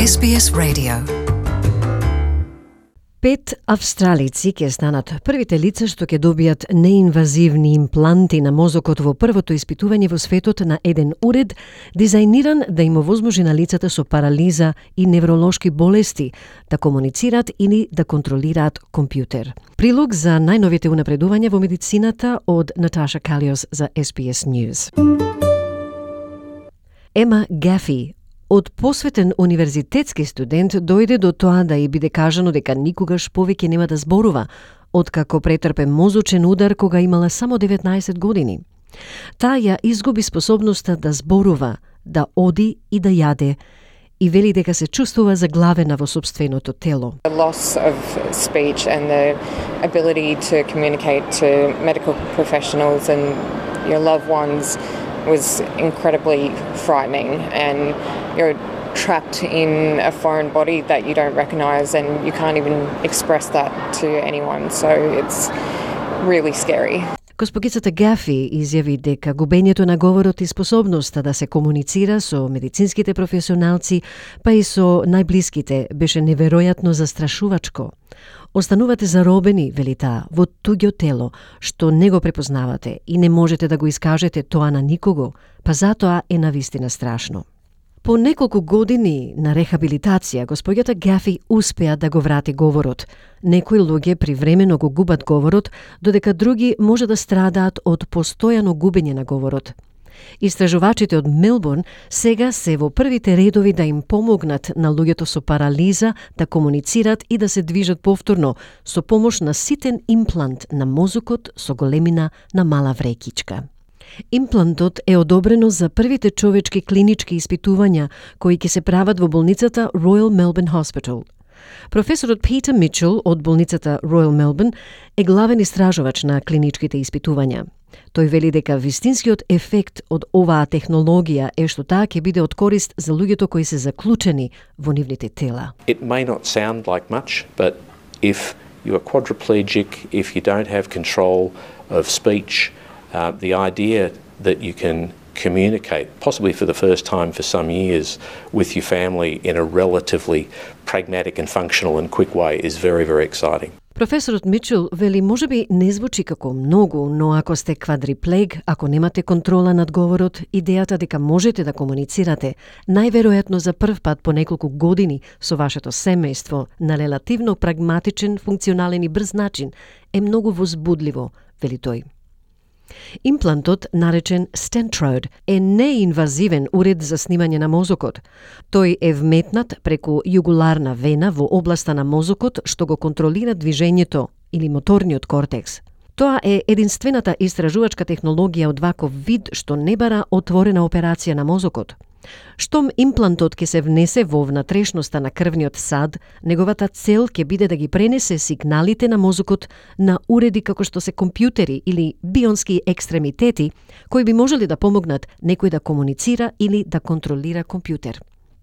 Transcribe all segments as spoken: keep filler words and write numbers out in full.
Ес Би Ес Radio. Пет австралици ќе станат првите лица што ќе добијат неинвазивни импланти на мозокот во првото испитување во светот на еден уред дизајниран да им овозможи на лицата со парализа и невролошки болести да комуницираат или да контролираат компјутер. Прилог за најновите унапредувања во медицината од Наташа Калиос за Ес Би Ес News. Ема Гафи, од посветен универзитетски студент, дојде до тоа да ја биде кажано дека никогаш повеќе нема да зборува, откако претрпе мозочен удар кога имала само деветнаесет години. Таа ја изгуби способноста да зборува, да оди и да јаде, и вели дека се чувствува заглавена во сопственото тело. The loss of speech and the ability to communicate to medical professionals and your loved ones was incredibly frightening, and you're trapped in a foreign body that you don't recognise and you can't even express that to anyone, so it's really scary. Госпогицата Гафи изјави дека губењето на говорот и способноста да се комуницира со медицинските професионалци, па и со најблиските, беше неверојатно застрашувачко. Останувате заробени, вели таа, во туѓо тело, што не го препознавате и не можете да го искажете тоа на никого, па затоа е навистина страшно. По неколку години на рехабилитација, господјата Гафи успеа да го врати говорот. Некои луѓе привремено го губат говорот, додека други може да страдаат од постојано губење на говорот. Истражувачите од Мелбурн сега се во првите редови да им помогнат на луѓето со парализа да комуницираат и да се движат повторно со помош на ситен имплант на мозокот со големина на мала врекичка. Имплантот е одобрено за првите човечки клинички испитувања кои ќе се прават во болницата Royal Melbourne Hospital. Професорот Питер Мичел од болницата Royal Melbourne е главен истражувач на клиничките испитувања. Тој вели дека вистинскиот ефект од оваа технологија е што таа ќе биде од корист за луѓето кои се заклучени во нивните тела. It may not sound like much, but if you are quadriplegic, if you don't have control of speech, uh, the idea that you can communicate, possibly for the first time for some years, with your family in a relatively pragmatic and functional and quick way is very, very exciting. Професорот Мичел вели можеби не звучи како многу, но ако сте квадриплег, ако немате контрола над говорот, идејата дека можете да комуницирате, најверојатно за прв пат по неколку години со вашето семејство на релативно прагматичен, функционален и брз начин, е многу возбудливо, вели тој. Имплантот, наречен Stentrode, е неинвазивен уред за снимање на мозокот. Тој е вметнат преку југуларна вена во областа на мозокот што го контролира движењето или моторниот кортекс. Тоа е единствената истражувачка технологија од ваков вид што не бара отворена операција на мозокот. Штом имплантот ќе се внесе во внатрешноста на крвниот сад, неговата цел ќе биде да ги пренесе сигналите на мозокот на уреди како што се компјутери или бионски екстремитети, кои би можели да помогнат некој да комуницира или да контролира компјутер.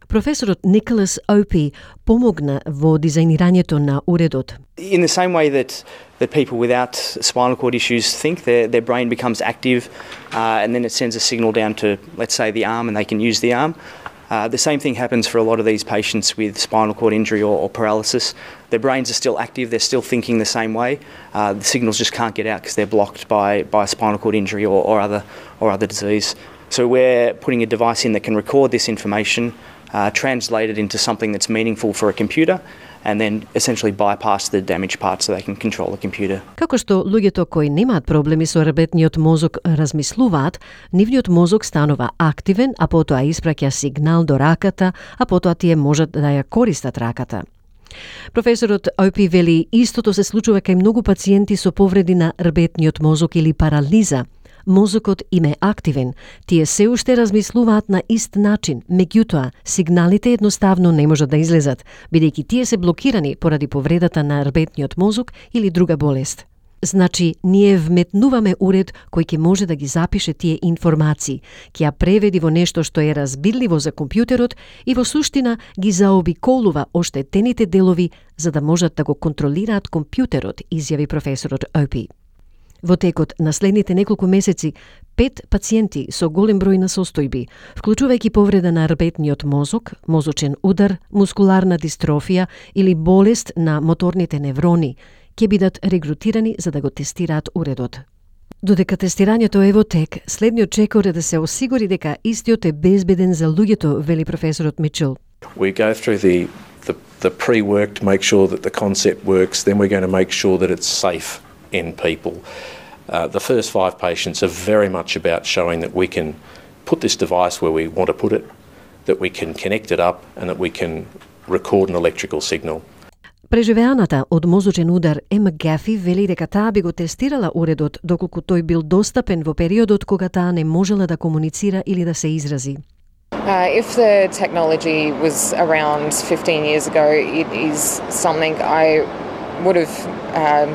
Професорот Николас Опи помогна во дизајнирањето на уредот. In the same way that that people without spinal cord issues think, their their brain becomes active, uh, and then it sends a signal down to, let's say, the arm, and they can use the arm. Uh, the same thing happens for a lot of these patients with spinal cord injury or, or paralysis. Their brains are still active; they're still thinking the same way. Uh, the signals just can't get out because they're blocked by by a spinal cord injury or, or other or other disease. So we're putting a device in that can record this information, Uh, translate it into something that's meaningful for a computer, and then essentially bypass the damaged part so they can control the computer. Како што луѓето кои немаат проблеми со работниот мозок размислуваат, нивниот мозок станува активен, а потоа испраќа сигнал до раката, а потоа тие можат да ја користат раката. Професорот Опи вели истото се случува кај многу пациенти со повреди на рбетниот мозок или парализа. Мозокот им е активен, тие се уште размислуваат на ист начин, меѓутоа сигналите едноставно не можат да излезат, бидејќи тие се блокирани поради повредата на рбетниот мозок или друга болест. Значи, ние вметнуваме уред кој ќе може да ги запише тие информации, ќе ја преведи во нешто што е разбирливо за компјутерот и во суштина ги заобиколува оштетените делови за да можат да го контролираат компјутерот, изјави професорот Опи. Во текот на следните неколку месеци, Пет пациенти со голем број на состојби, вклучувајќи повреда на рбетниот мозок, мозочен удар, мускуларна дистрофија или болест на моторните неврони, ќе бидат регрутирани за да го тестираат уредот. Додека тестирањето е во тек, следниот чекор е да се осигури дека истиот е безбеден за луѓето, вели професорот Мичел. We go through the, the, the pre-work to make sure that the concept works, then we're going to make sure that it's safe in people. Uh, the first five patients are very much about showing that we can put this device where we want to put it, that we can connect it up and that we can record an electrical signal. Преживеаната од мозочен удар Ема Гафи вели дека таа би го тестирала уредот доколку тој бил достапен во периодот кога таа не можела да комуницира или да се изрази. Uh, if the technology was around fifteen years ago, it is something I would have uh,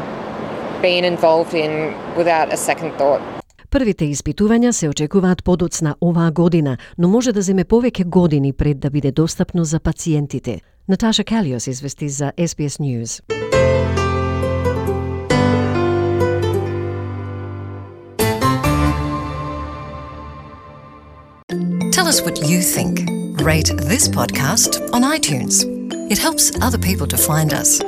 been involved in without a second thought. Првите испитувања се очекуваат подоцна оваа година, но може да земе повеќе години пред да биде достапно за пациентите. Наташа Калиос извести за S B S News. Tell us what you think. Rate this podcast on iTunes. It helps other people to find us.